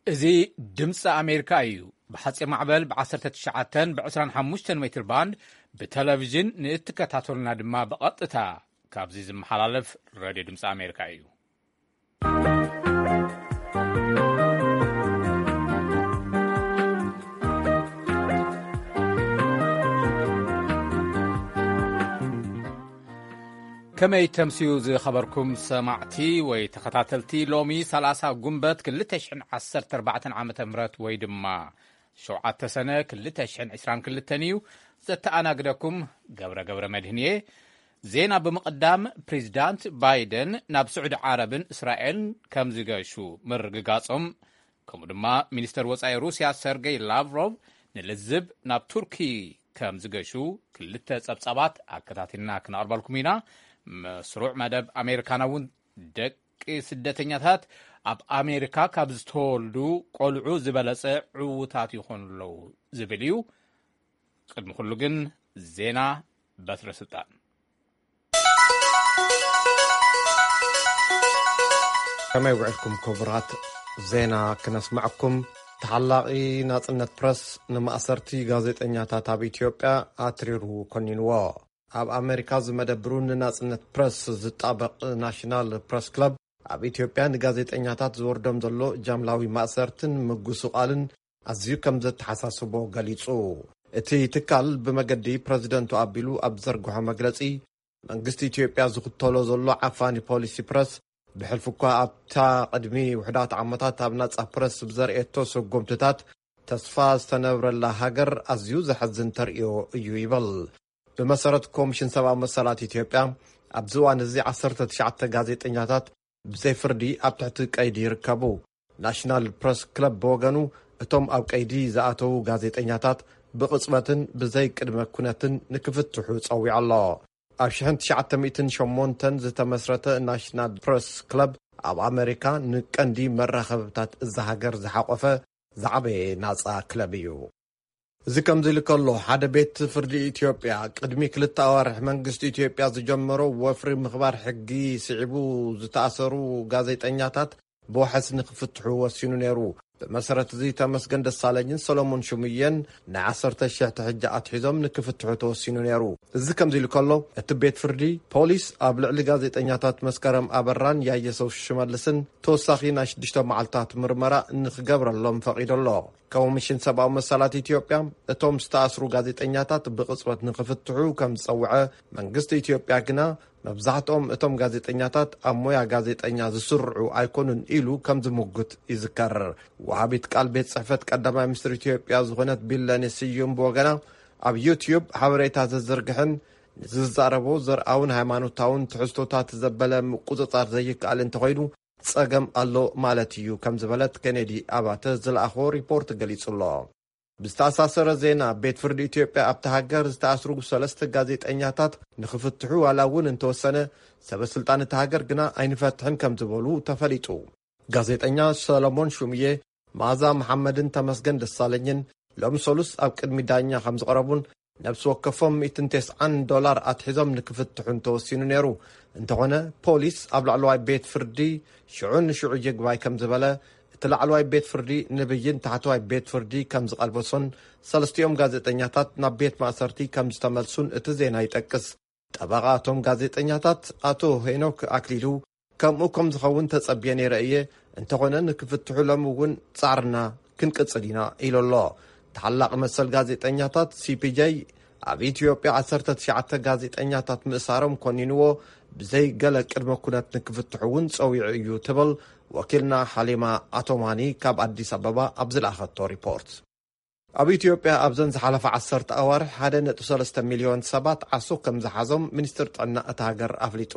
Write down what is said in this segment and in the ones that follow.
እዚ ድምፂ ኣሜሪካ እዩ። ብሓፂር ማዕበል ብ19 ብ25 ሜትር ባንድ ብቴሌቪዥን ንእትከታተሉና ድማ ብቐጥታ ካብዚ ዝመሓላለፍ ሬድዮ ድምፂ ኣሜሪካ እዩ። ከመይ ተምስዩ ዝኸበርኩም ሰማዕቲ ወይ ተኸታተልቲ፣ ሎሚ 30 ጉንበት 2014 ዓ ም ወይ ድማ ሸውዓተ ሰነ 2022 እዩ። ዘተኣናግደኩም ገብረ ገብረ መድህን እየ። ዜና ብምቕዳም፣ ፕሬዚዳንት ባይደን ናብ ስዑዲ ዓረብን እስራኤልን ከም ዝገሹ ምርግጋጾም፣ ከምኡ ድማ ሚኒስተር ወጻኢ ሩስያ ሰርጌይ ላቭሮቭ ንልዝብ ናብ ቱርኪ ከም ዝገሹ ክልተ ጸብጻባት ኣከታቲልና ክነቕርበልኩም ኢና። መስሩዕ መደብ ኣሜሪካና እውን ደቂ ስደተኛታት ኣብ ኣሜሪካ ካብ ዝተወልዱ ቆልዑ ዝበለጸ ዕዉታት ይኾኑ ኣለዉ ዝብል እዩ። ቅድሚ ኩሉ ግን ዜና በትረ ስልጣን። ከመይ ውዕልኩም ክቡራት? ዜና ክነስምዐኩም። ተሓላቒ ናጽነት ፕረስ ንማእሰርቲ ጋዜጠኛታት ኣብ ኢትዮጵያ ኣትሪሩ ኮኒንዎ። ኣብ ኣሜሪካ ዝመደብሩ ንናጽነት ፕረስ ዝጣበቕ ናሽናል ፕረስ ክለብ፣ ኣብ ኢትዮጵያ ንጋዜጠኛታት ዝወርዶም ዘሎ ጃምላዊ ማእሰርትን ምጉስቓልን ኣዝዩ ከም ዘተሓሳስቦ ገሊጹ። እቲ ትካል ብመገዲ ፕረዚደንቱ ኣቢሉ ኣብ ዘርግሖ መግለጺ፣ መንግስቲ ኢትዮጵያ ዝኽተሎ ዘሎ ዓፋኒ ፖሊሲ ፕረስ፣ ብሕልፊ እኳ ኣብታ ቅድሚ ውሑዳት ዓመታት ኣብ ናጻ ፕረስ ብዘርእየቶ ስጉምትታት ተስፋ ዝተነብረላ ሃገር ኣዝዩ ዘሐዝን ተርእዮ እዩ ይብል። ብመሰረት ኮሚሽን ሰብኣዊ መሰላት ኢትዮጵያ፣ ኣብዚ እዋን እዚ 19 ጋዜጠኛታት ብዘይ ፍርዲ ኣብ ትሕቲ ቀይዲ ይርከቡ። ናሽናል ፕረስ ክለብ ብወገኑ፣ እቶም ኣብ ቀይዲ ዝኣተዉ ጋዜጠኛታት ብቕጽበትን ብዘይ ቅድመ ኩነትን ንክፍትሑ ጸዊዑ ኣሎ። ኣብ ሽሕን ትሽዓተ ሚእትን ሸሞንተን ዝተመስረተ ናሽናል ፕረስ ክለብ፣ ኣብ ኣመሪካ ንቀንዲ መራኸብታት እዛ ሃገር ዝሓቖፈ ዝዓበየ ናጻ ክለብ እዩ። እዚ ከምዚ ኢሉ ከሎ፣ ሓደ ቤት ፍርዲ ኢትዮጵያ ቅድሚ ክልተ ኣዋርሕ መንግስቲ ኢትዮጵያ ዝጀመሮ ወፍሪ ምኽባር ሕጊ ስዒቡ ዝተኣሰሩ ጋዜጠኛታት ብዋሕስ ንክፍትሑ ወሲኑ ነይሩ። ብመሰረት እዚ ተመስገን ደሳለኝን ሰሎሞን ሽሙየን ንዓሰርተ ሺሕ ትሕጃ ኣትሒዞም ንክፍትሑ ተወሲኑ ነይሩ። እዚ ከምዚ ኢሉ ከሎ፣ እቲ ቤት ፍርዲ ፖሊስ ኣብ ልዕሊ ጋዜጠኛታት መስከረም ኣበራን ያየሰው ሽመልስን ተወሳኺ ናይ ሽዱሽተ መዓልታት ምርመራ ንክገብረሎም ፈቒዱ ኣሎ። ኮሚሽን ሰብኣዊ መሰላት ኢትዮጵያ እቶም ዝተኣስሩ ጋዜጠኛታት ብቕጽበት ንክፍትሑ ከም ዝጸውዐ፣ መንግስቲ ኢትዮጵያ ግና መብዛሕትኦም እቶም ጋዜጠኛታት ኣብ ሞያ ጋዜጠኛ ዝስርዑ ኣይኮኑን ኢሉ ከም ዝምጉት ይዝከር። ወሃቢት ቃል ቤት ጽሕፈት ቀዳማይ ሚኒስትር ኢትዮጵያ ዝኾነት ቢለኔ ስዩም ብወገና፣ ኣብ ዩትዩብ ሓበሬታ ዘዝርግሕን ንዝዛረቦ ዘርኣውን ሃይማኖታውን ትሕዝቶታት ዘበለ ምቁጽጻር ዘይከኣል እንተኾይኑ፣ ጸገም ኣሎ ማለት እዩ ከም ዝበለት ኬኔዲ ኣባተ ዝለኣኾ ሪፖርት ገሊጹ ኣሎ። ብዝተኣሳሰረ ዜና፣ ቤት ፍርዲ ኢትዮጵያ ኣብቲ ሃገር ዝተኣስሩ ሰለስተ ጋዜጠኛታት ንክፍትሑ ዋላ እውን እንተወሰነ፣ ሰበ ስልጣን እቲ ሃገር ግና ኣይንፈትሕን ከም ዝበሉ ተፈሊጡ። ጋዜጠኛ ሰለሞን ሹምዬ፣ መኣዛ መሓመድን ተመስገን ደሳለኝን ሎም ሰሉስ ኣብ ቅድሚ ዳኛ ከም ዝቐረቡን ነብሲ ወከፎም ሚእትን ተስዓን ዶላር ኣትሒዞም ንክፍትሑን ተወሲኑ ነይሩ። እንተኾነ፣ ፖሊስ ኣብ ላዕለዋይ ቤት ፍርዲ ሽዑ ንሽዑ ይግባይ ከም ዝበለ፣ እቲ ላዕለዋይ ቤት ፍርዲ ንብይን ታሕተዋይ ቤት ፍርዲ ከም ዝቐልበሶን ሰለስቲኦም ጋዜጠኛታት ናብ ቤት ማእሰርቲ ከም ዝተመልሱን እቲ ዜና ይጠቅስ። ጠበቓ እቶም ጋዜጠኛታት ኣቶ ሄኖክ ኣክሊሉ፣ ከምኡ ከም ዝኸውን ተጸብየ ነይረ እየ፣ እንተኾነ ንክፍትሑ ሎም እውን ጻዕርና ክንቅጽል ኢና ኢሉ ኣሎ። ተሓላቒ መሰል ጋዜጠኛታት ሲፒጄ ኣብ ኢትዮጵያ ዓሰርተ ትሽዓተ ጋዜጠኛታት ምእሳሮም ኮኒንዎ፣ ብዘይ ገለ ቅድመ ኩነት ንክፍትሑ እውን ጸዊዑ እዩ ትብል ወኪልና ሓሊማ ኣቶማኒ ካብ ኣዲስ ኣበባ ኣብ ዝለኣኸቶ ሪፖርት። ኣብ ኢትዮጵያ ኣብዘን ዝሓለፋ ዓሰርተ ኣዋርሕ ሓደ ነጥቢ ሰለስተ ሚልዮን ሰባት ዓሶ ከም ዝሓዞም ሚኒስትር ጥዕና እታ ሃገር ኣፍሊጡ።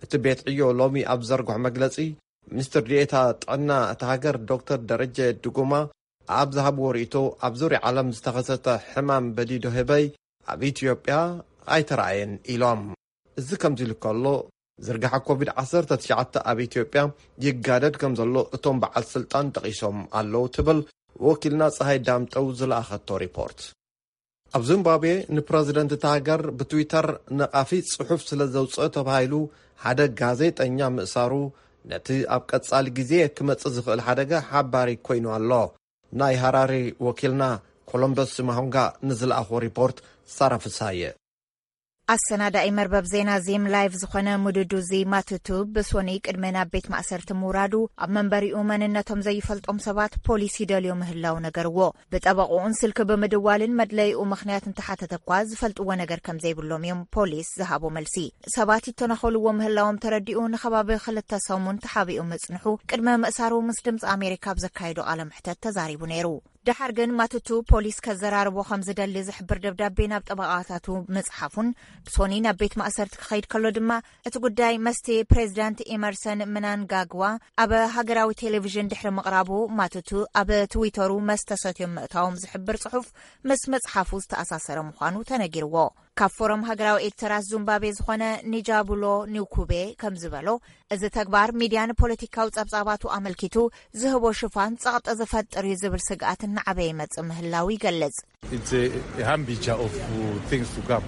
እቲ ቤት ዕዮ ሎሚ ኣብ ዘርግሖ መግለጺ፣ ሚኒስትር ዲኤታ ጥዕና እታ ሃገር ዶክተር ደረጀ ድጉማ ኣብ ዝሃብዎ ርእይቶ፣ ኣብ ዙርያ ዓለም ዝተኸሰተ ሕማም በዲዶ ህበይ ኣብ ኢትዮጵያ ኣይተራእየን ኢሎም። እዚ ከምዚ ኢሉ ከሎ፣ ዝርግሐ ኮቪድ ዓሰርተ ትሽዓተ ኣብ ኢትዮጵያ ይጋደድ ከም ዘሎ እቶም በዓል ስልጣን ጠቒሶም ኣለዉ ትብል ወኪልና ፀሃይ ዳምጠው ዝለኣኸቶ ሪፖርት። ኣብ ዚምባብዌ ንፕረዚደንት እታ ሃገር ብትዊተር ነቓፊ ጽሑፍ ስለ ዘውፅአ ተባሂሉ ሓደ ጋዜጠኛ ምእሳሩ ነቲ ኣብ ቀጻሊ ግዜ ክመጽእ ዝኽእል ሓደጋ ሓባሪ ኮይኑ ኣሎ። ናይ ሃራሪ ወኪልና ኮሎምበስ ማሆንጋ ንዝለኣኾ ሪፖርት ሳራ ፍሳየ። ኣሰናዳኢ መርበብ ዜና ዚም ላይቭ ዝኾነ ምዱዱዚ ማቱቱ ብሶኒ ቅድሚ ናብ ቤት ማእሰርቲ ምውራዱ ኣብ መንበሪኡ መንነቶም ዘይፈልጦም ሰባት ፖሊስ ይደልዮ ምህላው ነገርዎ። ብጠበቕኡን ስልኪ ብምድዋልን መድለይኡ ምኽንያት እንተሓተተ እኳ ዝፈልጥዎ ነገር ከም ዘይብሎም እዮም ፖሊስ ዝሃቦ መልሲ። ሰባት ይተናኸልዎ ምህላዎም ተረዲኡ ንኸባቢ ክልተ ሰሙን ተሓቢኡ ምጽንሑ ቅድሚ ምእሳሩ ምስ ድምፂ ኣሜሪካ ኣብ ዘካየዶ ቃለ መሕተት ተዛሪቡ ነይሩ። ደሓር ግን ማቱቱ ፖሊስ ከዘራርቦ ከም ዝደሊ ዝሕብር ደብዳቤ ናብ ጠበቓታቱ ምጽሓፉን ብሶኒ ናብ ቤት ማእሰርቲ ክኸይድ ከሎ ድማ እቲ ጉዳይ መስቲ ፕሬዚዳንት ኢመርሰን ምናንጋግዋ ኣብ ሃገራዊ ቴሌቪዥን ድሕሪ ምቕራቡ ማቱቱ ኣብ ትዊተሩ መስተ ሰትዮም ምእታዎም ዝሕብር ጽሑፍ ምስ መጽሓፉ ዝተኣሳሰረ ምዃኑ ተነጊርዎ። ካብ ፎረም ሃገራዊ ኤዲተራት ዙምባቤ ዝኾነ ኒጃቡሎ ኒውኩቤ ከም ዝበሎ፣ እዚ ተግባር ሚድያ ንፖለቲካዊ ጸብጻባቱ ኣመልኪቱ ዝህቦ ሽፋን ጸቕጢ ዝፈጥር እዩ ዝብል ስግኣት እናዓበየ ይመጽእ ምህላው ይገልጽ። It's a, a hambija of uh, things to come.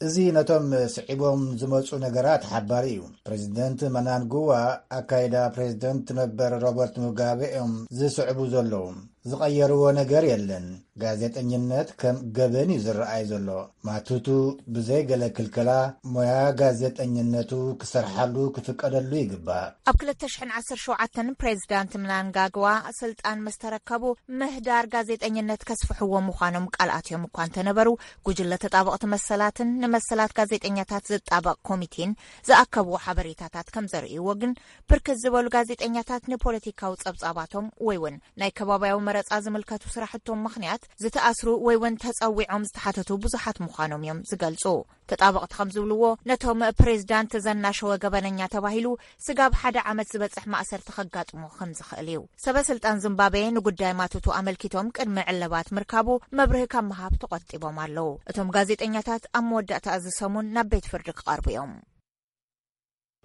እዚ ነቶም ስዒቦም ዝመጹ ነገራት ሓባሪ እዩ። ፕሬዚደንት መናንጉዋ ኣካይዳ ፕሬዚደንት ነበር ሮበርት ሙጋቤ እዮም ዝስዕቡ ዘለዉ። ዝቐየርዎ ነገር የለን። ጋዜጠኝነት ከም ገበን እዩ ዝረኣይ ዘሎ። ማቱቱ ብዘይ ገለ ክልከላ ሞያ ጋዜጠኝነቱ ክሰርሓሉ ክፍቀደሉ ይግባእ። ኣብ ክልተ ሽሕን ዓሰርተ ሸውዓተን ፕሬዚዳንት ምናንጋግዋ ስልጣን ምስ ተረከቡ ምህዳር ጋዜጠኝነት ከስፍሕዎ ምዃኖም ቃል ኣትዮም እኳ እንተነበሩ፣ ጉጅለ ተጣበቕቲ መሰላትን ንመሰላት ጋዜጠኛታት ዝጣበቕ ኮሚቴን ዝኣከብዎ ሓበሬታታት ከም ዘርእይዎ ግን፣ ብርክት ዝበሉ ጋዜጠኛታት ንፖለቲካዊ ጸብጻባቶም ወይ እውን ናይ ከባብያዊ መረጻ ዝምልከቱ ስራሕቶም ምኽንያት ዝተኣስሩ ወይ እውን ተጸዊዖም ዝተሓተቱ ብዙሓት ምዃኖም እዮም ዝገልጹ። ተጣበቕቲ ከም ዝብልዎ፣ ነቶም ፕሬዚዳንት ዘናሸወ ገበነኛ ተባሂሉ ስጋብ ሓደ ዓመት ዝበጽሕ ማእሰርቲ ከጋጥሞ ከም ዝኽእል እዩ። ሰበ ስልጣን ዚምባብዌ ንጉዳይ ማቱቱ ኣመልኪቶም ቅድሚ ዕለባት ምርካቡ መብርሂ ካብ ምሃብ ተቖጢቦም ኣለዉ። እቶም ጋዜጠኛታት ኣብ መወዳእታ እዚ ሰሙን ናብ ቤት ፍርዲ ክቐርቡ እዮም።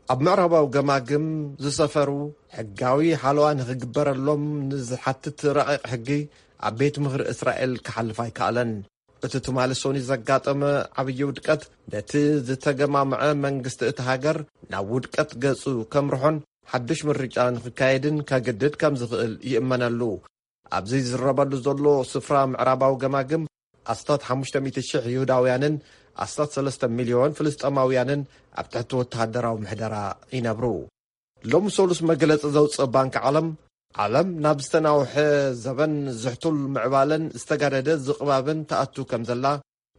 ኣብ ምዕራባዊ ገማግም ዝሰፈሩ ሕጋዊ ሓለዋ ንኽግበረሎም ንዝሓትት ረቂቕ ሕጊ ኣብ ቤት ምኽሪ እስራኤል ክሓልፍ ኣይከኣለን። እቲ ትማሊ ሶኒ ዘጋጠመ ዓብዪ ውድቀት ነቲ ዝተገማምዐ መንግስቲ እቲ ሃገር ናብ ውድቀት ገጹ ከምርሖን ሓድሽ ምርጫ ንኽካየድን ከግድድ ከም ዝኽእል ይእመነሉ። ኣብዚ ዝዝረበሉ ዘሎ ስፍራ ምዕራባዊ ገማግም ኣስታት ሓሙሽተ ሚእቲ ሽሕ ይሁዳውያንን ኣስታት ሰለስተ ሚልዮን ፍልስጠማውያንን ኣብ ትሕቲ ወተሃደራዊ ምሕደራ ይነብሩ። ሎም ሰሉስ መግለጺ ዘውፅእ ባንክ ዓለም፣ ዓለም ናብ ዝተናውሐ ዘበን ዝሕቱል ምዕባለን ዝተጋደደ ዝቕባብን ተኣቱ ከም ዘላ፣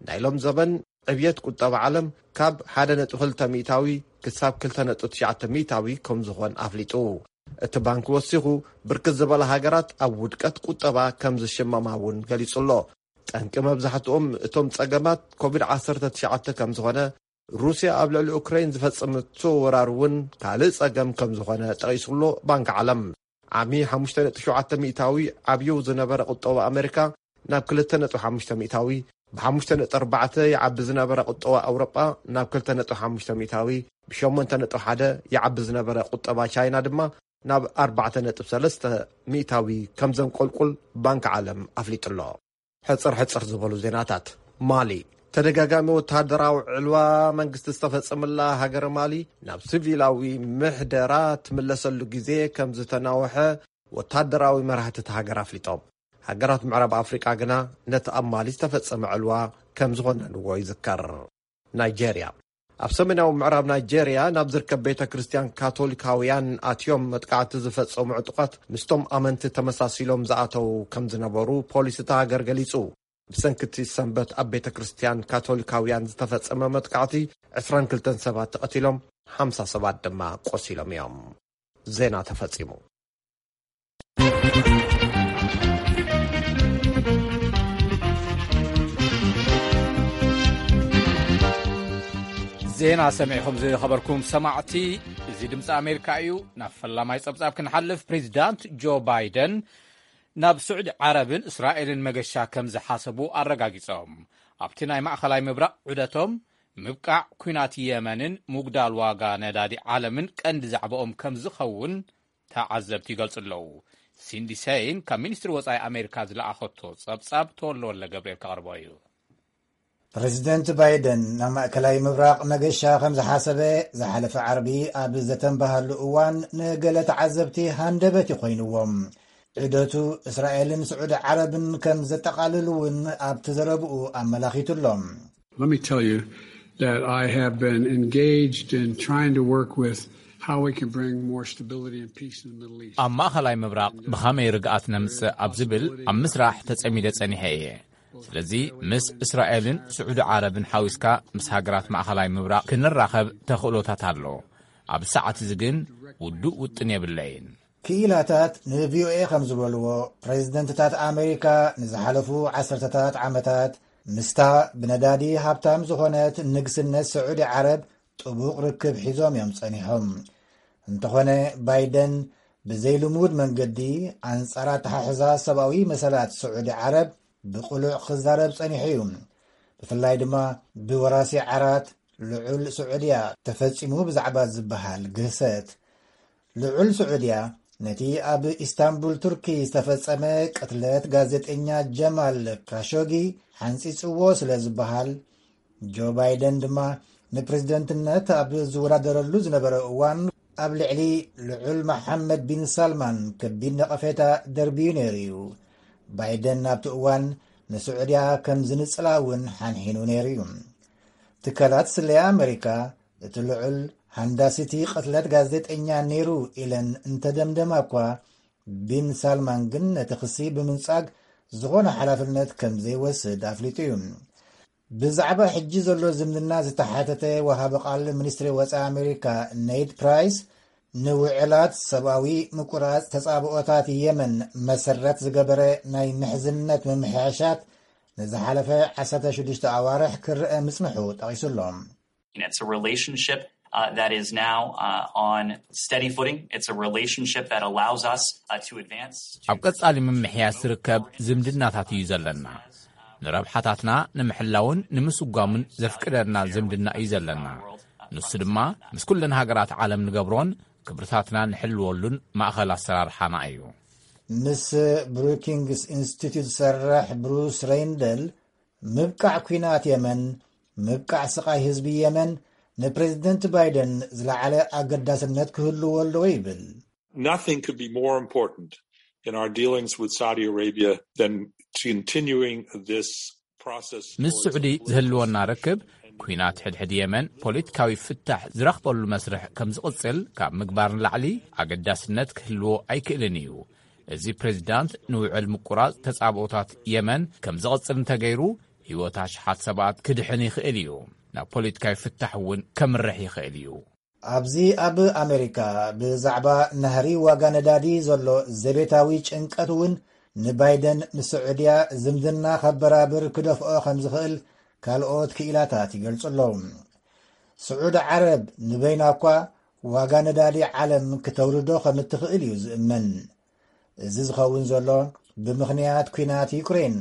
ናይ ሎም ዘበን ዕብየት ቁጠባ ዓለም ካብ ሓደ ነጥቢ ክልተ ሚእታዊ ክሳብ ክልተ ነጥቢ ትሽዓተ ሚእታዊ ከም ዝኾን ኣፍሊጡ። እቲ ባንክ ወሲኹ፣ ብርክት ዝበላ ሃገራት ኣብ ውድቀት ቁጠባ ከም ዝሽመማ እውን ገሊጹ ኣሎ። ጠንቂ መብዛሕትኦም እቶም ጸገማት ኮቪድ ዓሰርተ ትሽዓተ ከም ዝኾነ፣ ሩስያ ኣብ ልዕሊ ኡክራይን ዝፈጸመቶ ወራር እውን ካልእ ጸገም ከም ዝኾነ ጠቒሱ ኣሎ ባንክ ዓለም። ዓሚ ሓሙሽተ ነጥቢ ሸውዓተ ሚእታዊ ዓብዩ ዝነበረ ቁጠባ ኣሜሪካ ናብ ክልተ ነጥቢ ሓሙሽተ ሚእታዊ፣ ብ ሓሙሽተ ነጥቢ ኣርባዕተ ይዓቢ ዝነበረ ቁጠባ ኣውሮጳ ናብ ክልተ ነጥቢ ሓሙሽተ ሚእታዊ፣ ብ ሸሞንተ ነጥቢ ሓደ ይዓቢ ዝነበረ ቁጠባ ቻይና ድማ ናብ ኣርባዕተ ነጥቢ ሰለስተ ሚእታዊ ከም ዘንቆልቁል ባንክ ዓለም ኣፍሊጡ ኣሎ። ሕጽር ሕጽር ዝበሉ ዜናታት። ማሊ፣ ተደጋጋሚ ወተሃደራዊ ዕልዋ መንግስቲ ዝተፈጸመላ ሃገረ ማሊ ናብ ሲቪላዊ ምሕደራ ትምለሰሉ ግዜ ከም ዝተናውሐ ወተሃደራዊ መራሕቲ እታ ሃገር ኣፍሊጦም። ሃገራት ምዕራብ ኣፍሪቃ ግና ነቲ ኣብ ማሊ ዝተፈጸመ ዕልዋ ከም ዝኾነንዎ ይዝከር። ናይጄርያ፣ ኣብ ሰሜናዊ ምዕራብ ናይጄርያ ናብ ዝርከብ ቤተ ክርስቲያን ካቶሊካውያን ኣትዮም መጥቃዕቲ ዝፈጸሙ ዕጡቓት ምስቶም ኣመንቲ ተመሳሲሎም ዝኣተዉ ከም ዝነበሩ ፖሊስ እታ ሃገር ገሊጹ። ብሰንኪ እቲ ሰንበት ኣብ ቤተ ክርስቲያን ካቶሊካውያን ዝተፈጸመ መጥቃዕቲ ዕስራን ክልተን ሰባት ተቐቲሎም፣ ሓምሳ ሰባት ድማ ቆሲሎም እዮም። ዜና ተፈጺሙ። ዜና ሰሚዕኹም ዝኸበርኩም ሰማዕቲ፣ እዚ ድምፂ ኣሜሪካ እዩ። ናብ ፈላማይ ጸብጻብ ክንሓልፍ፣ ፕሬዚዳንት ጆ ባይደን ናብ ስዑዲ ዓረብን እስራኤልን መገሻ ከም ዝሓሰቡ ኣረጋጊጾም። ኣብቲ ናይ ማእኸላይ ምብራቕ ዑደቶም፣ ምብቃዕ ኲናት የመንን ምጉዳል ዋጋ ነዳዲ ዓለምን ቀንዲ ዛዕባኦም ከም ዝኸውን ተዓዘብቲ ይገልጹ ኣለዉ። ሲንዲ ሰይን ካብ ሚኒስትሪ ወጻኢ ኣሜሪካ ዝለኣኸቶ ጸብጻብ ተወልደ ወልደ ገብርኤል ከቕርቦ እዩ። ፕሬዚደንት ባይደን ናብ ማእከላይ ምብራቕ መገሻ ከም ዝሓሰበ ዝሓለፈ ዓርቢ ኣብ ዘተንበሃሉ እዋን፣ ንገለ ተዓዘብቲ ሃንደበት ይኮይንዎም። ዑደቱ እስራኤልን ስዑዲ ዓረብን ከም ዘጠቓልል እውን ኣብቲ ዘረብኡ ኣመላኺቱ ኣሎ። Let me tell you that I have been engaged in trying to work with how we can bring more stability and peace in the Middle East. ኣብ ማእኸላይ ምብራቕ ብኸመይ ርግኣት ነምጽእ ኣብ ዝብል ኣብ ምስራሕ ተጸሚደ ጸኒሐ እየ። ስለዚ ምስ እስራኤልን ስዑዲ ዓረብን ሓዊስካ ምስ ሃገራት ማእኸላይ ምብራቕ ክንራኸብ ተኽእሎታት ኣሎ። ኣብ ሰዓት እዚ ግን ውዱእ ውጥን የብለይን። ክኢላታት ንቪኦኤ ከም ዝበልዎ፣ ፕሬዚደንትታት ኣሜሪካ ንዝሓለፉ ዓሰርተታት ዓመታት ምስታ ብነዳዲ ሃብታም ዝኾነት ንግስነት ስዑዲ ዓረብ ጥቡቕ ርክብ ሒዞም እዮም ጸኒሖም። እንተኾነ፣ ባይደን ብዘይልሙድ መንገዲ ኣንጻር ኣተሓሕዛ ሰብኣዊ መሰላት ስዑዲ ዓረብ ብቕሉዕ ክዛረብ ጸኒሑ እዩ። ብፍላይ ድማ ብወራሲ ዓራት ልዑል ስዑድያ ተፈጺሙ ብዛዕባ ዝበሃል ግህሰት። ልዑል ስዑድያ ነቲ ኣብ ኢስታንቡል ቱርኪ ዝተፈጸመ ቅትለት ጋዜጠኛ ጀማል ካሾጊ ሓንጺጽዎ ስለ ዝበሃል፣ ጆ ባይደን ድማ ንፕሬዝደንትነት ኣብ ዝወዳደረሉ ዝነበረ እዋን ኣብ ልዕሊ ልዑል መሓመድ ቢን ሳልማን ከቢድ ነቐፌታ ደርብዩ ነይሩ እዩ። ባይደን ኣብቲ እዋን ንስዑድያ ከም ዝንጽላ እውን ሓንሒኑ ነይሩ እዩ። ትካላት ስለያ ኣመሪካ እቲ ልዑል ሃንዳሲቲ ቅትለት ጋዜጠኛ ነይሩ ኢለን እንተደምደማ እኳ፣ ቢን ሳልማን ግን ነቲ ክሲ ብምንጻግ ዝኾነ ሓላፍነት ከም ዘይወስድ ኣፍሊጡ እዩ። ብዛዕባ ሕጂ ዘሎ ዝምድና ዝተሓተተ ወሃቢ ቃል ሚኒስትሪ ወጻኢ ኣሜሪካ ኔድ ፕራይስ፣ ንውዕላት ሰብኣዊ ምቁራጽ ተጻብኦታት የመን መሰረት ዝገበረ ናይ ምሕዝነት ምምሕያሻት ንዝሓለፈ ዓሰርተ ሽዱሽተ ኣዋርሕ ክረአ ምጽንሑ ጠቒሱ ኣሎ። It's a relationship uh, that is now uh, on steady footing. It's a relationship that allows us uh, to advance. To ኣብ ቀጻሊ ምምሕያሽ ዝርከብ ዝምድናታት እዩ ዘለና። ንረብሓታትና ንምሕላውን ንምስጓምን ዘፍቅደና ዝምድና እዩ ዘለና። ንሱ ድማ ምስ ኩለን ሃገራት ዓለም ንገብሮን ክብርታትና ንሕልወሉን ማእኸል ኣሰራርሓና እዩ። ምስ ብሩኪንግስ ኢንስቲትዩት ዝሰርሕ ብሩስ ሬይንደል፣ ምብቃዕ ኲናት የመን፣ ምብቃዕ ስቓይ ህዝቢ የመን ንፕሬዝደንት ባይደን ዝለዓለ ኣገዳስነት ክህልዎ ኣለዎ ይብል። Nothing could be more important in our dealings with Saudi Arabia than continuing this process. ምስ ስዑዲ ዝህልወና ርክብ፣ ኲናት ሕድሕድ የመን ፖለቲካዊ ፍታሕ ዝረኽበሉ መስርሕ ከም ዝቕጽል ካብ ምግባር ንላዕሊ ኣገዳስነት ክህልዎ ኣይክእልን እዩ። እዚ ፕሬዚዳንት ንውዕል ምቁራጽ ተጻብኦታት የመን ከም ዝቕጽል እንተገይሩ፣ ህይወት ኣሽሓት ሰባት ክድሕን ይኽእል እዩ። ናብ ፖለቲካዊ ፍታሕ እውን ከምርሕ ይኽእል እዩ። ኣብዚ ኣብ ኣሜሪካ ብዛዕባ ናህሪ ዋጋ ነዳዲ ዘሎ ዘቤታዊ ጭንቀት እውን ንባይደን ምስ ስዑድያ ዝምድና ከበራብር ክደፍኦ ከም ዝኽእል ካልኦት ክኢላታት ይገልጹ ኣለዉ። ስዑዲ ዓረብ ንበይና እኳ ዋጋ ነዳዲ ዓለም ክተውርዶ ከም እትኽእል እዩ ዝእመን። እዚ ዝኸውን ዘሎ ብምኽንያት ኲናት ዩክሬን፣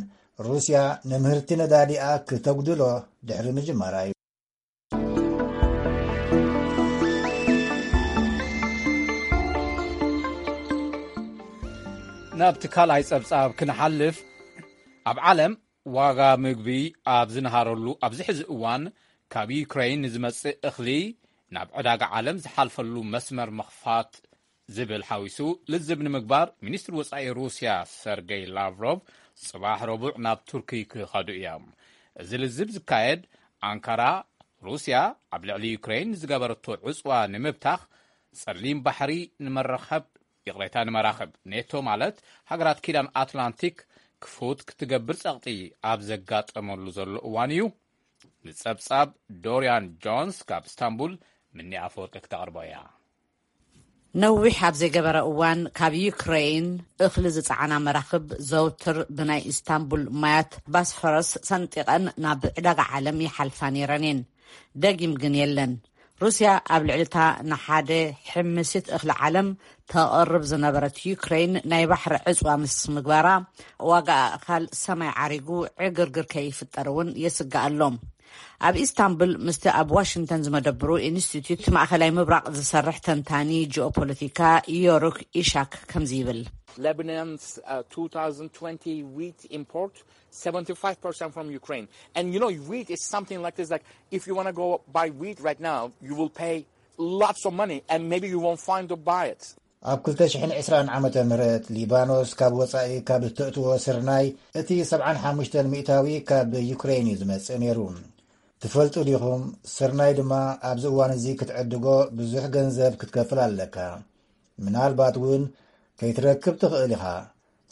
ሩስያ ንምህርቲ ነዳዲኣ ክተጉድሎ ድሕሪ ምጅማራ እዩ። ናብቲ ካልኣይ ጸብጻብ ክንሓልፍ፣ ኣብ ዓለም ዋጋ ምግቢ ኣብ ዝንሃረሉ ኣብዚ ሕዚ እዋን፣ ካብ ዩክሬን ንዝመጽእ እኽሊ ናብ ዕዳጋ ዓለም ዝሓልፈሉ መስመር ምኽፋት ዝብል ሓዊሱ ልዝብ ንምግባር፣ ሚኒስትሪ ወጻኢ ሩስያ ሰርገይ ላቭሮቭ ጽባሕ ረቡዕ ናብ ቱርኪ ክኸዱ እዮም። እዚ ልዝብ ዝካየድ፣ ኣንካራ ሩስያ ኣብ ልዕሊ ዩክሬን ዝገበረቶ ዕጽዋ ንምብታኽ፣ ጸሊም ባሕሪ ንመራኸብ፣ ይቕሬታ፣ ንመራኽብ ኔቶ፣ ማለት ሃገራት ኪዳን ኣትላንቲክ፣ ክፉት ክትገብር ጸቕጢ ኣብ ዘጋጠመሉ ዘሎ እዋን እዩ። ንጸብጻብ ዶርያን ጆንስ ካብ እስታንቡል ምኒ ኣፈወርቂ ክተቕርቦ እያ። ነዊሕ ኣብ ዘይገበረ እዋን፣ ካብ ዩክሬን እኽሊ ዝጸዓና መራኽብ ዘውትር ብናይ ኢስታንቡል ማያት ባስፈረስ ሰንጢቐን ናብ ዕዳጋ ዓለም ይሓልፋ ነይረን እየን። ደጊም ግን የለን። ሩስያ ኣብ ልዕሊታ ንሓደ ሕምሲት እኽሊ ዓለም ተቕርብ ዝነበረት ዩክሬን ናይ ባሕሪ ዕጽዋ ምስ ምግባራ፣ ዋጋ ኣእኻል ሰማይ ዓሪጉ ዕግርግር ከይፍጠር እውን የስግእ ኣሎ። ኣብ ኢስታንቡል ምስቲ ኣብ ዋሽንግተን ዝመደብሩ ኢንስቲትዩት ማእኸላይ ምብራቕ ዝሰርሕ ተንታኒ ጂኦፖለቲካ ዮሩክ ኢሻክ ከምዚ ይብል። Lebanon's uh, two thousand twenty wheat import, seventy-five percent from Ukraine. And you know, wheat is something like this. Like, if you want to go buy wheat right now, you will pay lots of money, and maybe you won't find to buy it. ኣብ ክልተ ሽሕን ዕስራን ዓመተ ምህረት ሊባኖስ ካብ ወጻኢ ካብ እተእትዎ ስርናይ፣ እቲ ሰብዓን ሓሙሽተን ሚእታዊ ካብ ዩክሬን እዩ ዝመጽእ ነይሩ። ትፈልጡ ዲኹም? ስርናይ ድማ ኣብዚ እዋን እዚ ክትዕድጎ ብዙሕ ገንዘብ ክትከፍል ኣለካ። ምናልባት እውን ከይትረክብ ትኽእል ኢኻ።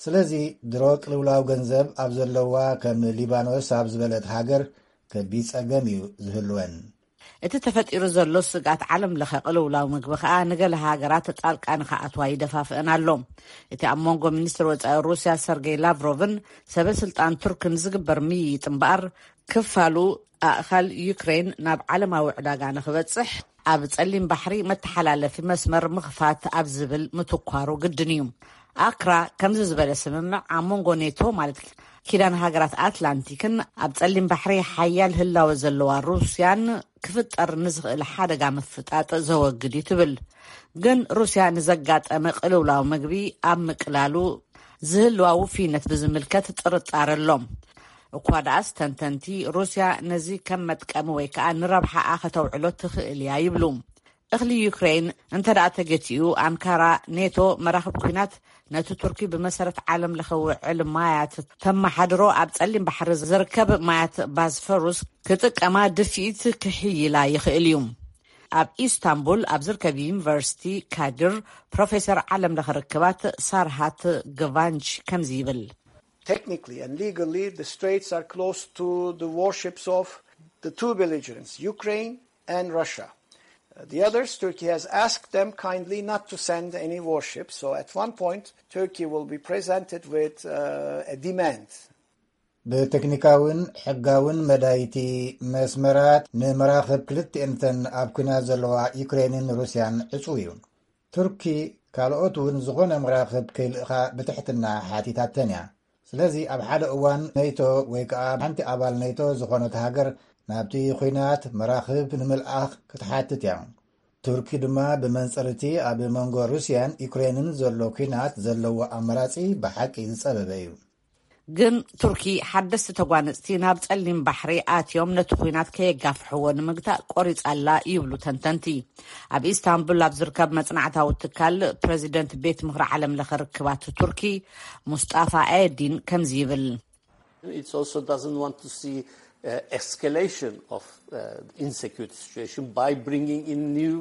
ስለዚ ድሮ ቅልውላው ገንዘብ ኣብ ዘለዋ ከም ሊባኖስ ኣብ ዝበለት ሃገር ከቢድ ጸገም እዩ ዝህልወን። እቲ ተፈጢሩ ዘሎ ስግኣት ዓለም ለኸ ቅልውላው ምግቢ ከኣ ንገለ ሃገራት ጣልቃ ንኸኣትዋ ይደፋፍአን ኣሎ። እቲ ኣብ መንጎ ሚኒስትር ወጻኢ ሩስያ ሰርጌይ ላቭሮቭን ሰበ ስልጣን ቱርክን ዝግበር ምይይጥ እምበኣር፣ ክፋሉ ኣእኻል ዩክሬን ናብ ዓለማዊ ዕዳጋ ንኽበጽሕ ኣብ ጸሊም ባሕሪ መተሓላለፊ መስመር ምኽፋት ኣብ ዝብል ምትኳሩ ግድን እዩ። ኣክራ ከምዚ ዝበለ ስምምዕ ኣብ መንጎ ኔቶ፣ ማለት ኪዳን ሃገራት ኣትላንቲክን ኣብ ጸሊም ባሕሪ ሓያል ህላወ ዘለዋ ሩስያን ክፍጠር ንዝኽእል ሓደጋ ምፍጣጥ ዘወግድ እዩ ትብል። ግን ሩስያ ንዘጋጠመ ቅልውላው ምግቢ ኣብ ምቅላሉ ዝህልዋ ውፍይነት ብዝምልከት ጥርጣረ ኣሎ። እኳ ደኣስ ተንተንቲ ሩስያ ነዚ ከም መጥቀሚ ወይ ከኣ ንረብሓኣ ከተውዕሎ ትኽእል እያ ይብሉ። እኽሊ ዩክሬን እንተ ደኣ ተገቲኡ፣ ኣንካራ ኔቶ መራኽብ ኲናት ነቲ ቱርኪ ብመሰረት ዓለም ለኸ ውዕል ማያት ተመሓድሮ ኣብ ጸሊም ባሕሪ ዝርከብ ማያት ባስፈሩስ ክጥቀማ ድፍኢት ክሕይላ ይኽእል እዩ። ኣብ ኢስታንቡል ኣብ ዝርከብ ዩኒቨርሲቲ ካድር ፕሮፌሰር ዓለም ለኸ ርክባት ሳርሃት ገቫንች ከምዚ ይብል። Technically and legally, the straits are closed to the warships of the two belligerents, Ukraine and Russia. Uh, the others, Turkey has asked them kindly not to send any warships. So at one point, Turkey will be presented with uh, a demand. ብቴክኒካውን ሕጋውን መዳይቲ መስመራት ንመራኽብ ክልቲኤንተን ኣብ ኲናት ዘለዋ ዩክሬንን ሩስያን ዕጹው እዩ። ቱርኪ ካልኦት እውን ዝኾነ መራኽብ ከይልእኻ ብትሕትና ሓቲታተን እያ። ስለዚ ኣብ ሓደ እዋን ኔቶ ወይ ከኣ ሓንቲ ኣባል ኔቶ ዝኾነት ሃገር ናብቲ ኲናት መራኽብ ንምልኣኽ ክትሓትት እያ። ቱርኪ ድማ ብመንጽር እቲ ኣብ መንጎ ሩስያን ዩክሬንን ዘሎ ኲናት ዘለዎ ኣማራጺ ብሓቂ ዝጸበበ እዩ። ግን ቱርኪ ሓደስቲ ተጓነጽቲ ናብ ጸሊም ባሕሪ ኣትዮም ነቲ ኲናት ከየጋፍሕዎ ንምግታእ ቆሪጻ ኣላ ይብሉ ተንተንቲ። ኣብ ኢስታንቡል ኣብ ዝርከብ መጽናዕታዊ ትካል ፕረዚደንት ቤት ምኽሪ ዓለም ለኸ ርክባት ቱርኪ ሙስጣፋ ኤዲን ከምዚ ይብል። It also doesn't want to see uh, escalation of uh, insecurity situation by bringing in new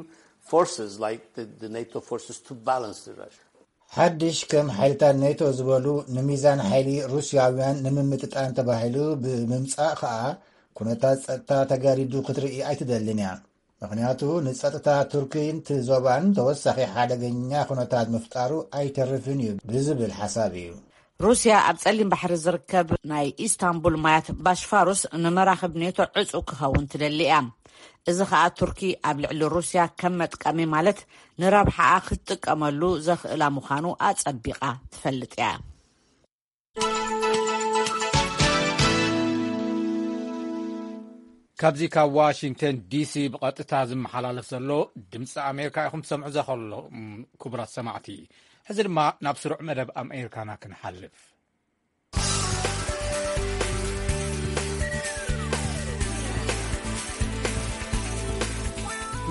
forces like the, the NATO forces to balance the Russia. ሓድሽ ከም ሓይልታት ኔቶ ዝበሉ ንሚዛን ሓይሊ ሩስያውያን ንምምጥጣን ተባሂሉ ብምምጻእ ከኣ ኩነታት ጸጥታ ተጋዲዱ ክትርኢ ኣይትደልን እያ። ምኽንያቱ ንጸጥታ ቱርኪን እቲ ዞባን ተወሳኺ ሓደገኛ ኩነታት ምፍጣሩ ኣይተርፍን እዩ ብዝብል ሓሳብ እዩ። ሩስያ ኣብ ጸሊም ባሕሪ ዝርከብ ናይ ኢስታንቡል ማያት ባሽፋሩስ ንመራኽብ ኔቶ ዕጹ ክኸውን ትደሊ እያ። እዚ ኸኣ ቱርኪ ኣብ ልዕሊ ሩስያ ከም መጥቀሚ ማለት ንረብሓኣ ክትጥቀመሉ ዘኽእላ ምዃኑ ኣጸቢቓ ትፈልጥ እያ። ካብዚ ካብ ዋሽንግተን ዲሲ ብቐጥታ ዝመሓላለፍ ዘሎ ድምፂ ኣሜሪካ ኢኹም ትሰምዑ ዘኸሎ። ክቡራት ሰማዕቲ፣ ሕዚ ድማ ናብ ስሩዕ መደብ ኣሜሪካና ክንሓልፍ።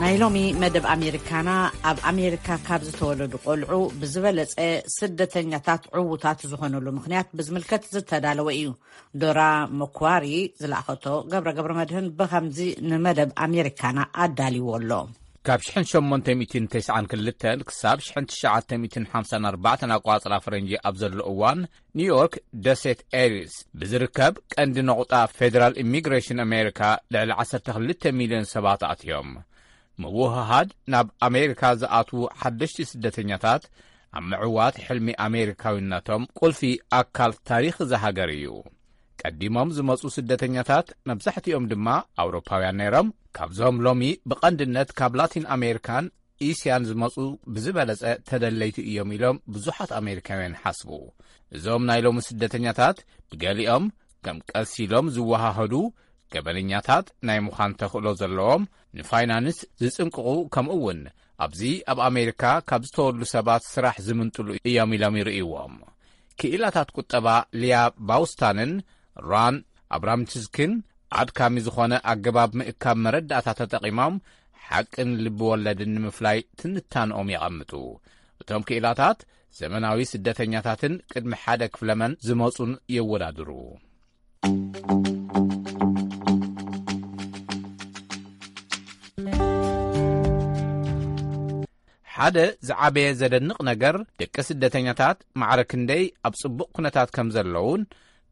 ናይ ሎሚ መደብ ኣሜሪካና፣ ኣብ ኣሜሪካ ካብ ዝተወለዱ ቆልዑ ብዝበለጸ ስደተኛታት ዕዉታት ዝኾነሉ ምኽንያት ብዝምልከት ዝተዳለወ እዩ። ዶራ መኳሪ ዝለኣኸቶ ገብረ ገብረ መድህን ብኸምዚ ንመደብ ኣሜሪካና ኣዳልዎ ኣሎ። ካብ ሸሞንተ ሚእትን ተስዓን ክልተን ክሳብ ትሽዓተ ሚእትን ሓምሳን ኣርባዕተን ኣቋጽራ ፈረንጂ ኣብ ዘሎ እዋን፣ ኒውዮርክ ደሴት ኤሪስ ብዝርከብ ቀንዲ ነቑጣ ፌደራል ኢሚግሬሽን ኣሜሪካ ልዕሊ ዓሰርተ ክልተ ሚልዮን ሰባት ኣትዮም። ምውህሃድ ናብ ኣሜሪካ ዝኣትዉ ሓደሽቲ ስደተኛታት ኣብ ምዕዋት ሕልሚ ኣሜሪካዊነቶም ቁልፊ ኣካል ታሪኽ እዛ ሃገር እዩ። ቀዲሞም ዝመጹ ስደተኛታት መብዛሕትኦም ድማ ኣውሮፓውያን ነይሮም። ካብዞም ሎሚ ብቐንድነት ካብ ላቲን ኣሜሪካን እስያን ዝመጹ ብዝበለጸ ተደለይቲ እዮም ኢሎም ብዙሓት ኣሜሪካውያን ይሓስቡ። እዞም ናይ ሎሚ ስደተኛታት ብገሊኦም ከም ቀስ ኢሎም ዝወሃሃዱ፣ ገበነኛታት ናይ ምዃን ተኽእሎ ዘለዎም፣ ንፋይናንስ ዝጽንቅቑ፣ ከምኡ እውን ኣብዚ ኣብ ኣሜሪካ ካብ ዝተወሉ ሰባት ስራሕ ዝምንጥሉ እዮም ኢሎም ይርእይዎም። ክኢላታት ቁጠባ ሊያ ባውስታንን ራን ኣብራምችስክን ኣድካሚ ዝኾነ ኣገባብ ምእካብ መረዳእታ ተጠቒሞም ሓቅን ልቢ ወለድን ንምፍላይ ትንታንኦም የቐምጡ። እቶም ክኢላታት ዘመናዊ ስደተኛታትን ቅድሚ ሓደ ክፍለመን ዝመጹን የወዳድሩ። ሓደ ዝዓበየ ዘደንቕ ነገር፣ ደቂ ስደተኛታት ማዕረ ክንደይ ኣብ ጽቡቕ ኩነታት ከም ዘለዉን፣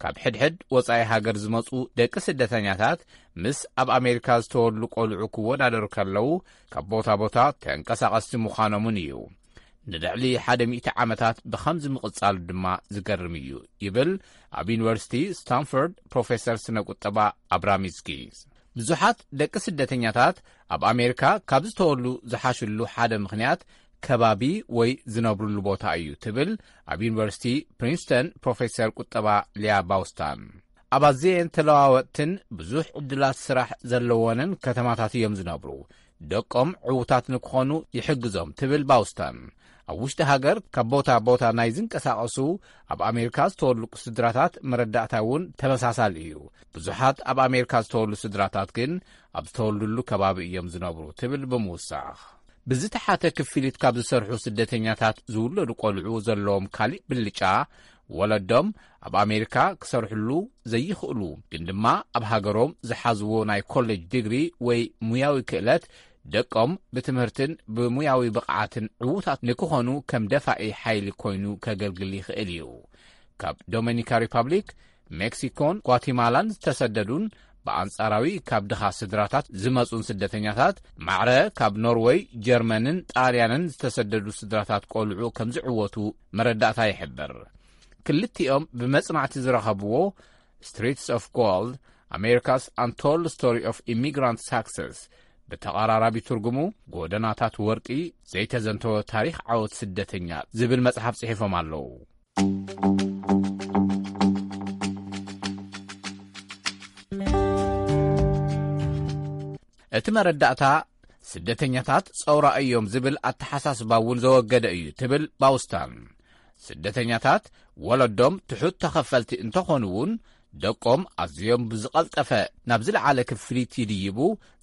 ካብ ሕድሕድ ወጻኢ ሃገር ዝመጹ ደቂ ስደተኛታት ምስ ኣብ ኣሜሪካ ዝተወሉ ቆልዑ ክወዳደሩ ከለዉ፣ ካብ ቦታ ቦታ ተንቀሳቐስቲ ምዃኖምን እዩ። ንልዕሊ ሓደ ሚእቲ ዓመታት ብኸምዚ ምቕጻሉ ድማ ዝገርም እዩ፣ ይብል ኣብ ዩኒቨርሲቲ ስታንፎርድ ፕሮፌሰር ስነ ቁጠባ ኣብራሚስኪ። ብዙሓት ደቂ ስደተኛታት ኣብ ኣሜሪካ ካብ ዝተወሉ ዝሓሽሉ ሓደ ምኽንያት ከባቢ ወይ ዝነብሩሉ ቦታ እዩ፣ ትብል ኣብ ዩኒቨርሲቲ ፕሪንስተን ፕሮፌሰር ቁጠባ ሊያ ባውስታን። ኣብ ኣዘየን ተለዋወጥትን ብዙሕ ዕድላት ስራሕ ዘለወንን ከተማታት እዮም ዝነብሩ። ደቆም ዕዉታት ንክኾኑ ይሕግዞም፣ ትብል ባውስታን። ኣብ ውሽጢ ሃገር ካብ ቦታ ቦታ ናይ ዝንቀሳቐሱ ኣብ ኣሜሪካ ዝተወሉ ስድራታት መረዳእታ እውን ተመሳሳሊ እዩ። ብዙሓት ኣብ ኣሜሪካ ዝተወሉ ስድራታት ግን ኣብ ዝተወልዱሉ ከባቢ እዮም ዝነብሩ፣ ትብል ብምውሳኽ። ብዝተሓተ ክፍሊት ካብ ዝሰርሑ ስደተኛታት ዝውለዱ ቆልዑ ዘለዎም ካሊእ ብልጫ፣ ወለዶም ኣብ ኣሜሪካ ክሰርሕሉ ዘይኽእሉ፣ ግን ድማ ኣብ ሃገሮም ዝሓዝዎ ናይ ኮሌጅ ዲግሪ ወይ ሙያዊ ክእለት ደቆም ብትምህርትን ብሙያዊ ብቕዓትን ዕዉታት ንክኾኑ ከም ደፋኢ ሓይሊ ኮይኑ ከገልግል ይኽእል እዩ። ካብ ዶሚኒካ ሪፓብሊክ፣ ሜክሲኮን ጓቲማላን ዝተሰደዱን ብኣንጻራዊ ካብ ድኻ ስድራታት ዝመጹን ስደተኛታት፣ ማዕረ ካብ ኖርወይ፣ ጀርመንን ጣልያንን ዝተሰደዱ ስድራታት ቆልዑ ከም ዝዕወቱ መረዳእታ ይሕብር። ክልቲኦም ብመጽናዕቲ ዝረኸብዎ Streets of Gold: America's Untold Story of Immigrant Success፣ ብተቐራራቢ ትርጉሙ ጎደናታት ወርቂ ዘይተዘንተወ ታሪኽ ዓወት ስደተኛ ዝብል መጽሓፍ ጽሒፎም ኣለዉ። እቲ መረዳእታ ስደተኛታት ጸውራ እዮም ዝብል ኣተሓሳስባ እውን ዘወገደ እዩ፣ ትብል ባውስታን። ስደተኛታት ወለዶም ትሑት ተኸፈልቲ እንተኾኑ እውን፣ ደቆም ኣዝዮም ብዝቐልጠፈ ናብ ዝለዓለ ክፍሊት ይድይቡ፣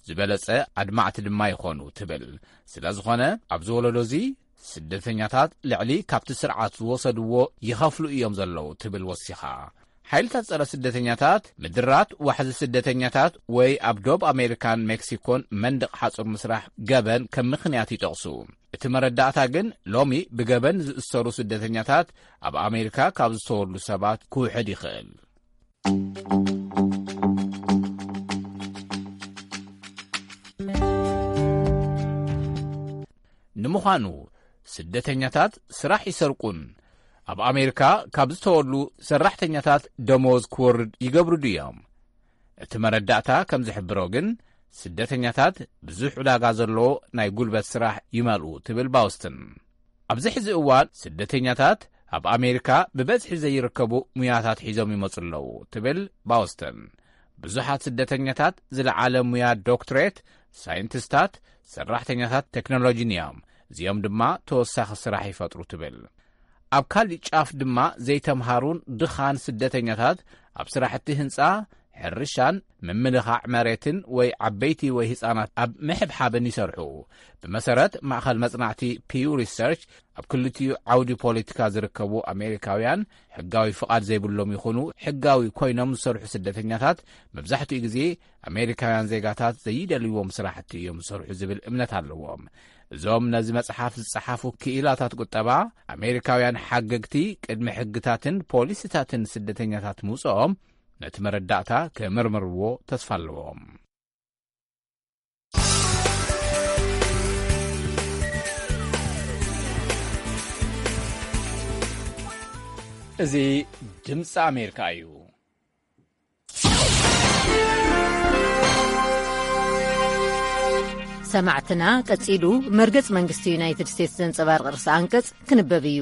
ዝበለጸ ኣድማዕቲ ድማ ይኾኑ፣ ትብል። ስለ ዝኾነ ኣብዚ ወለዶ እዚ ስደተኛታት ልዕሊ ካብቲ ስርዓት ዝወሰድዎ ይኸፍሉ እዮም ዘለዉ፣ ትብል ወሲኻ። ሓይልታት ጸረ ስደተኛታት ምድራት ዋሕዚ ስደተኛታት ወይ ኣብ ዶብ ኣሜሪካን ሜክሲኮን መንደቕ ሓጹር ምስራሕ ገበን ከም ምኽንያት ይጠቕሱ። እቲ መረዳእታ ግን ሎሚ ብገበን ዝእሰሩ ስደተኛታት ኣብ ኣሜሪካ ካብ ዝተወሉ ሰባት ክውሕድ ይኽእል። ንምዃኑ ስደተኛታት ስራሕ ይሰርቁን ኣብ ኣሜሪካ ካብ ዝተወሉ ሰራሕተኛታት ደሞዝ ክወርድ ይገብሩ ድዮም? እቲ መረዳእታ ከም ዝሕብሮ ግን፣ ስደተኛታት ብዙሕ ዕዳጋ ዘለዎ ናይ ጉልበት ስራሕ ይመልኡ፣ ትብል ባውስትን። ኣብዚ ሕዚ እዋን ስደተኛታት ኣብ ኣሜሪካ ብበዝሒ ዘይርከቡ ሙያታት ሒዞም ይመጹ ኣለዉ፣ ትብል ባውስተን። ብዙሓት ስደተኛታት ዝለዓለ ሙያ ዶክትሬት፣ ሳይንቲስታት፣ ሰራሕተኛታት ቴክኖሎጂን እዮም። እዚኦም ድማ ተወሳኺ ስራሕ ይፈጥሩ፣ ትብል። ኣብ ካሊእ ጫፍ ድማ ዘይተምሃሩን ድኻን ስደተኛታት ኣብ ስራሕቲ ህንጻ፣ ሕርሻን ምምልኻዕ መሬትን ወይ ዓበይቲ ወይ ህጻናት ኣብ ምሕብሓብን ይሰርሑ። ብመሰረት ማእኸል መጽናዕቲ ፒው ሪሰርች፣ ኣብ ክልቲኡ ዓውዲ ፖለቲካ ዝርከቡ ኣሜሪካውያን፣ ሕጋዊ ፍቓድ ዘይብሎም ይኹኑ ሕጋዊ ኮይኖም ዝሰርሑ ስደተኛታት፣ መብዛሕትኡ ግዜ ኣሜሪካውያን ዜጋታት ዘይደልይዎም ስራሕቲ እዮም ዝሰርሑ ዝብል እምነት ኣለዎም። እዞም ነዚ መጽሓፍ ዝጸሓፉ ክኢላታት ቁጠባ፣ ኣሜሪካውያን ሓገግቲ ቅድሚ ሕግታትን ፖሊሲታትን ስደተኛታት ምውጽኦም ነቲ መረዳእታ ክምርምርዎ ተስፋ ኣለዎም። እዚ ድምፂ ኣሜሪካ እዩ። ሰማዕትና፣ ቀጺሉ መርገጽ መንግስቲ ዩናይትድ ስቴትስ ዘንጸባርቕ ርእሰ ኣንቀጽ ክንበብ እዩ።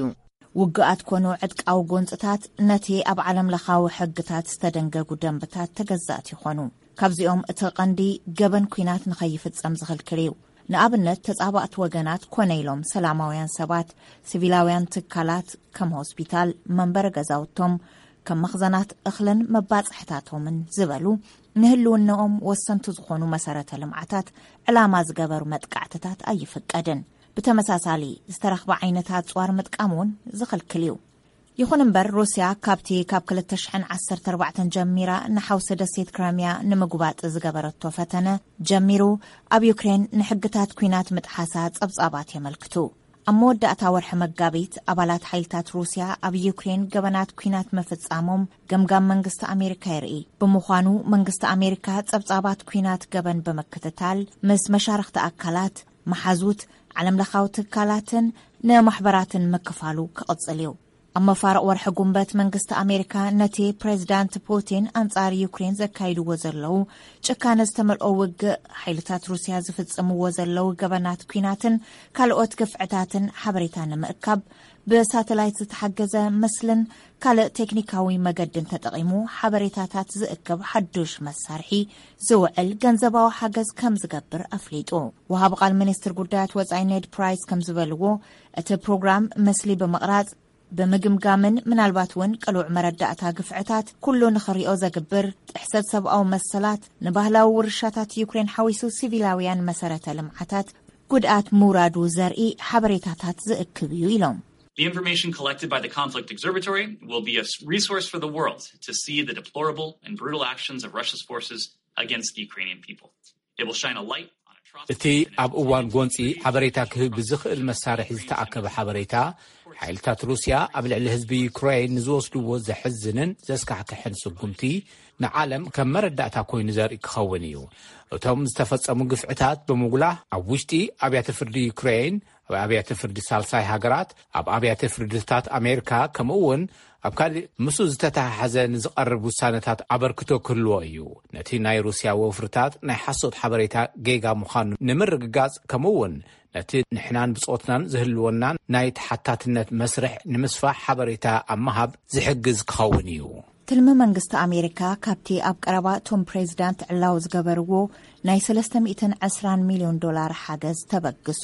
ውግኣት ኮኑ ዕጥቃዊ ጎንጽታት ነቲ ኣብ ዓለም ለኻዊ ሕግታት ዝተደንገጉ ደንብታት ተገዛእቲ ይኾኑ። ካብዚኦም እቲ ቀንዲ ገበን ኲናት ንኸይፍጸም ዝኽልክል እዩ። ንኣብነት፣ ተጻባእቲ ወገናት ኮነ ኢሎም ሰላማውያን ሰባት፣ ሲቪላውያን ትካላት ከም ሆስፒታል፣ መንበሪ ገዛውቶም፣ ከም መኽዘናት እኽልን መባጽሕታቶምን ዝበሉ ንህልውናኦም ወሰንቲ ዝኾኑ መሰረተ ልምዓታት ዕላማ ዝገበሩ መጥቃዕትታት ኣይፍቀድን። ብተመሳሳሊ፣ ዝተረኽበ ዓይነት ኣጽዋር ምጥቃም እውን ዝኽልክል እዩ። ይኹን እምበር፣ ሩስያ ካብቲ ካብ ክልተ ሽሕን ዓሰርተ ኣርባዕተን ጀሚራ ንሓውሲ ደሴት ክረምያ ንምጉባጥ ዝገበረቶ ፈተነ ጀሚሩ፣ ኣብ ዩክሬን ንሕግታት ኲናት ምጥሓሳ ጸብጻባት የመልክቱ። ኣብ መወዳእታ ወርሒ መጋቢት፣ ኣባላት ሓይልታት ሩስያ ኣብ ዩክሬን ገበናት ኲናት ምፍጻሞም ገምጋም መንግስቲ ኣሜሪካ የርኢ። ብምዃኑ፣ መንግስቲ ኣሜሪካ ጸብጻባት ኲናት ገበን ብምክትታል፣ ምስ መሻርኽቲ ኣካላት፣ መሓዙት፣ ዓለምለኻዊ ትካላትን ንማሕበራትን ምክፋሉ ክቕጽል እዩ። ኣብ መፋርቕ ወርሒ ጉንበት፣ መንግስቲ ኣሜሪካ ነቲ ፕሬዚዳንት ፑቲን ኣንጻር ዩክሬን ዘካይድዎ ዘለዉ ጭካነ ዝተመልኦ ውግእ፣ ሓይልታት ሩስያ ዝፍጽምዎ ዘለዉ ገበናት ኲናትን ካልኦት ግፍዕታትን ሓበሬታ ንምእካብ፣ ብሳተላይት ዝተሓገዘ ምስልን ካልእ ቴክኒካዊ መገድን ተጠቒሙ ሓበሬታታት ዝእክብ ሓዱሽ መሳርሒ ዝውዕል ገንዘባዊ ሓገዝ ከም ዝገብር ኣፍሊጡ። ወሃቢ ቃል ሚኒስትር ጉዳያት ወጻኢ ኔድ ፕራይስ ከም ዝበልዎ፣ እቲ ፕሮግራም ምስሊ ብምቕራጽ፣ ብምግምጋምን ምናልባት እውን ቅሉዕ መረዳእታ ግፍዕታት ኩሉ ንኽሪኦ ዘግብር፣ ጥሕሰት ሰብኣዊ መሰላት፣ ንባህላዊ ውርሻታት ዩክሬን ሓዊሱ ሲቪላውያን መሰረተ ልምዓታት ጉድኣት ምውራዱ ዘርኢ ሓበሬታታት ዝእክብ እዩ ኢሎም። The information collected by the Conflict Observatory will be a s- resource for the world to see the deplorable and brutal actions of Russia's forces against the Ukrainian people. It will shine a light on እቲ ኣብ እዋን ጎንጺ ሓበሬታ ክህብ ብዝኽእል መሳርሒ ዝተኣከበ ሓበሬታ፣ ሓይልታት ሩስያ ኣብ ልዕሊ ህዝቢ ዩክሬን ንዝወስድዎ ዘሕዝንን ዘስካሕክሕን ስጉምቲ ንዓለም ከም መረዳእታ ኮይኑ ዘርኢ ክኸውን እዩ። እቶም ዝተፈጸሙ ግፍዕታት ብምጉላህ ኣብ ውሽጢ ኣብያተ ፍርዲ ዩክሬን፣ ኣብ ኣብያተ ፍርዲ ሳልሳይ ሃገራት፣ ኣብ ኣብያተ ፍርድታት ኣሜሪካ፣ ከምኡ እውን ኣብ ካልእ ምስኡ ዝተተሓሓዘ ንዝቐርብ ውሳነታት ኣበርክቶ ክህልዎ እዩ። ነቲ ናይ ሩስያ ወፍርታት ናይ ሓሶት ሓበሬታ ጌጋ ምዃኑ ንምርግጋጽ፣ ከምኡ እውን ነቲ ንሕናን ብጾትናን ዝህልወናን ናይ ተሓታትነት መስርሕ ንምስፋሕ ሓበሬታ ኣብ ምሃብ ዝሕግዝ ክኸውን እዩ። ትልሚ መንግስቲ ኣሜሪካ ካብቲ ኣብ ቀረባ እቶም ፕሬዚዳንት ዕላዊ ዝገበርዎ ናይ ሰለስተ ሚእትን ዕስራን ሚልዮን ዶላር ሓገዝ ተበግሶ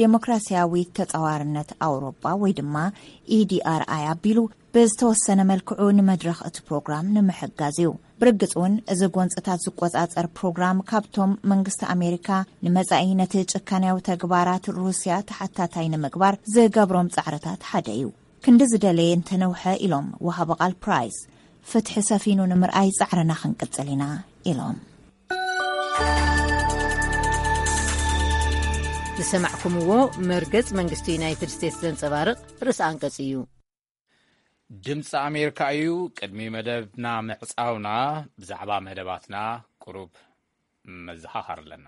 ዴሞክራሲያዊ ተጻዋርነት ኣውሮጳ ወይ ድማ ኢዲኣርኣይ ኣቢሉ ብዝተወሰነ መልክዑ ንመድረኽ እቲ ፕሮግራም ንምሕጋዝ እዩ። ብርግጽ እውን፣ እዚ ጎንጽታት ዝቆጻጸር ፕሮግራም ካብቶም መንግስቲ ኣሜሪካ ንመጻኢ ነቲ ጭካንያዊ ተግባራት ሩስያ ተሓታታይ ንምግባር ዝገብሮም ጻዕርታት ሓደ እዩ። ክንዲ ዝደለየ እንተነውሐ፣ ኢሎም ወሃቢ ቃል ፕራይስ፣ ፍትሒ ሰፊኑ ንምርኣይ ጻዕርና ክንቅጽል ኢና፣ ኢሎም። ዝሰማዕኩምዎ መርገጽ መንግስቲ ዩናይትድ ስቴትስ ዘንጸባርቕ ርእሲ ኣንቀጽ እዩ። ድምፂ ኣሜሪካ እዩ። ቅድሚ መደብና ምዕፃውና ብዛዕባ መደባትና ቁሩብ መዘኻኸር ኣለና።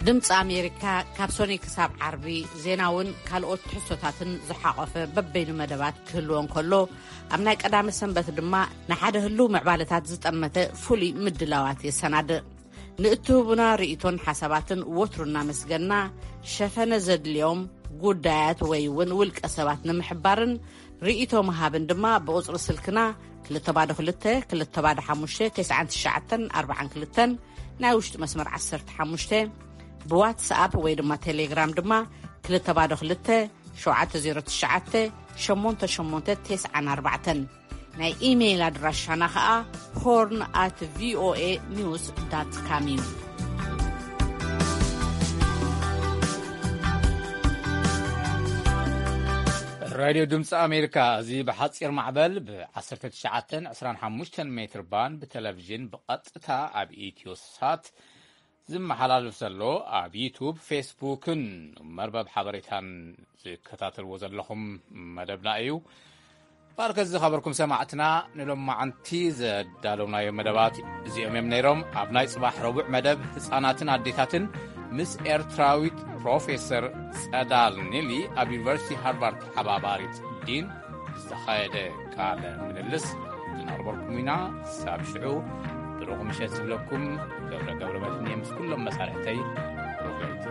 ድምፂ ኣሜሪካ ካብ ሶኒ ክሳብ ዓርቢ ዜናውን ካልኦት ትሕዝቶታትን ዝሓቖፈ በበይኑ መደባት ክህልዎ እንከሎ፣ ኣብ ናይ ቀዳመ ሰንበት ድማ ንሓደ ህሉው ምዕባለታት ዝጠመተ ፍሉይ ምድላዋት የሰናድእ። ንእትህቡና ርእይቶን ሓሳባትን ወትሩ እናመስገና፣ ሸፈነ ዘድልዮም ጉዳያት ወይ እውን ውልቀ ሰባት ንምሕባርን ርእይቶ ምሃብን ድማ ብቁጽሪ ስልክና ክልተ ባዶ ክልተ፣ ክልተ ባዶ ሓሙሽተ፣ ተስዓን ትሽዓተን ኣርባዓን ክልተን፣ ናይ ውሽጢ መስመር ዓሰርተ ሓሙሽተ፣ ብዋትስኣፕ ወይ ድማ ቴሌግራም ድማ ክልተ ባዶ ክልተ፣ ሸውዓተ ዜሮ ትሽዓተ፣ ሸሞንተ ሸሞንተ ተስዓን ኣርባዕተን። ናይ ኢሜይል ኣድራሻና ኸኣ ሆርን ኣት ቪኦኤ ኒውስ ዳት ካም እዩ። ራድዮ ድምፂ ኣሜሪካ፣ እዚ ብሓፂር ማዕበል ብ ዓሰርተ ትሽዓተን ዕስራን ሓሙሽተን ሜትር ባንድ ብቴሌቪዥን ብቐጥታ ኣብ ኢትዮ ሳት ዝመሓላለፍ ዘሎ፣ ኣብ ዩቱብ፣ ፌስቡክን መርበብ ሓበሬታን ዝከታተልዎ ዘለኹም መደብና እዩ። ባርከ ዝኸበርኩም ሰማዕትና፣ ንሎማዓንቲ ዘዳለውናዮ መደባት እዚኦም እዮም ነይሮም። ኣብ ናይ ጽባሕ ረቡዕ መደብ፣ ህጻናትን ኣዴታትን ምስ ኤርትራዊት ፕሮፌሰር ጸዳል ኒሊ፣ ኣብ ዩኒቨርሲቲ ሃርቫርድ ተሓባባሪት ዲን ዝተኻየደ ቃለ ምልልስ ክነቕርበልኩም ኢና። ክሳብ ሽዑ፣ ሮኹ ምሸት ዝብለኩም ገብረ ገብረ መድህን እየ ምስ ኩሎም መሳርሕተይ። ሮኹ ለይቲ።